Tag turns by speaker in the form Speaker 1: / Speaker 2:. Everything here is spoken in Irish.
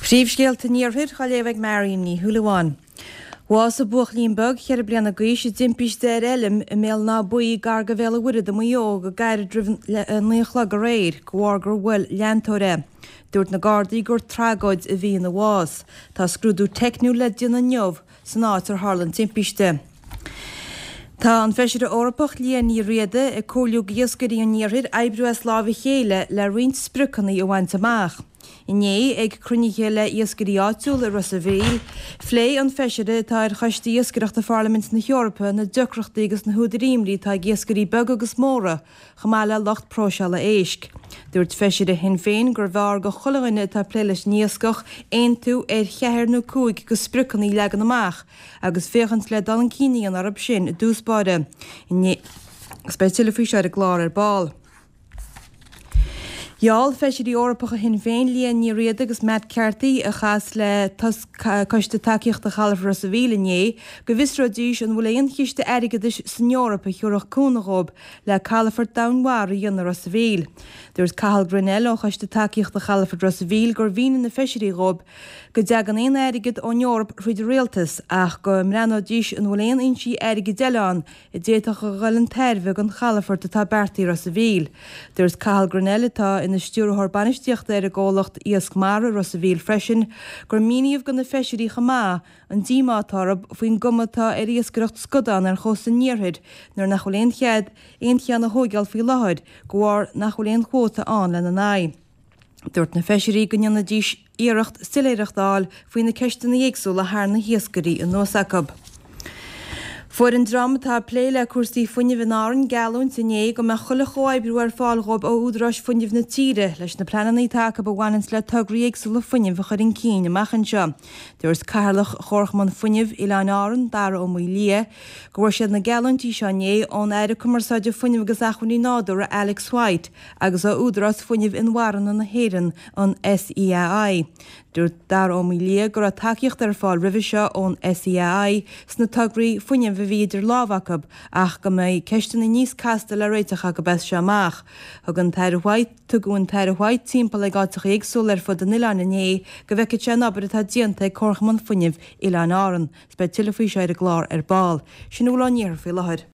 Speaker 1: Príomhscéalta an Iarthair á léamh ag Marion Ní Shúilleabháin. Bhásaigh buachaillín beag cheithre bliana d'aois i dtimpiste ar fheilm i mBéal an Átha Buí gar do Bhéal an Mhuirthead i Maigh Eo go gairid roimh a 9 a chlog aréir de bharr gur bhuail leantóir é. Dúirt na Gardaí gur tragóid a bhí ina bhás. Tá scrúdú teicniúil le déanamh inniu san áit ar tharla an timpiste. Tá an Feisire Eorpach Liadh Ní Riada ag comhairliú d'iascairí an iarthair oibriú as láimh a chéile le roinnt spriocanna a bhaint amach. Inné, ag cruinnithe le iascairí áitiúla i Ros a' Mhíl, phléigh an Feisire atá ar Choiste Iascaireachta Pharlaimint na hEorpa na deacrachtaí agus na húdair imní atá ag iascairí beaga agus móra chomh maith le lucht próiseála éisc. Dúirt Feisire Shinn Féin gurbh fhearr do chuile dhuine atá ag plé leis an iascach aontú ar cheathair nó 5 de spriocanna a leagan amach agus féachaint le dul chun cinn a dhéanamh orthu sin i dtús báire. Agus beidh tuilleadh faoi seo ar an gclár ar ball. Gheall Feisirí Eorpacha Shinn Féin, Liadh Ní Riada agus Matt Carthy, a chas le Coiste Tacaíochta Chalafort Ros a' Mhíl inné, go bhfiosróidís an bhfuil aon chiste airgeadais san Eoraip a thiúrfadh cúnamh dhóibh le calafort domhainmhara a dhéanamh i Ros a' Mhíl. Dúirt Cathal Grennell ó Choiste Tacaíochta Chalafort Ros a' Mhíl gur mhínigh na Feisirí dhóibh go dtagann aon airgead ón Eoraip thríd an Rialtas ach go mbreathnóidís an bhfuil aon fhoinsí airgid eile ann a d'fhéadfadh a dhul chun tairbhe don chalafort atá beartaithe i Ros a' Mhíl. Dúirt Cathal Grennell, atá ina Stiúrthóir Bainistíochta ar an gcomhlacht Iasc Mara Ros a' Mhíl freisin, gur míníodh do na Feisirí chomh maith an díomá atá orthu faoin gcuma atá ar iascaireacht scadán ar chósta an iarthair nuair nach bhfuil aon chead aon cheann a thóigeáil faoi láthair de bharr nach bhfuil aon chuóta ann lena n-aghaidh. Dúirt na Feisirí go ndéanfaidís iarracht soiléireacht a fháil faoi na ceisteanna éagsúla a tharraing na hiascairí anuas acu. Fuair an dream atá ag plé le cúrsaí fuinnimh in Árainn geallúint inné go mbeadh chuile chomhoibriú ar fáil dhóibh ó údaráis fuinnimh na tíre leis na pleananna atá acu a bhaineanns le tograí éagsúla fuinnimh a chur chun cinn amach anseo. Dúirt Cathaoirleach Chomharchumann Fuinnimh Oileáin Árann, Dara Ó Maoildhia, go bhfuair siad na geallúintí seo inné ón Aire Cumarsáide Fuinnimh agus Acmhainní Nádúrtha Alex White agus ó Údarás Fuinnimh Inmharthana na hÉireann, an SEAI. Dúirt Dara Ó Maoildhia go raibh tacaíocht ar fáil roimhe seo ón SEAI sna tograí fuinnimh a bhí idir lámha acu ach go mbeidh ceisteanna níos casta le réiteach acu as seo amach. Thug an tAire White Tugadh an tAire White timpeall ag áiteacha éagsúla ar fud an oileáin inné go bhfeicfeadh sé an obair atá déanta ag Comharchumann Fuinnimh Oileáin Árann. Beidh tuilleadh faoi seo ar an gclár ar ball. Sin a bhfuil ón iarthar faoi láthair.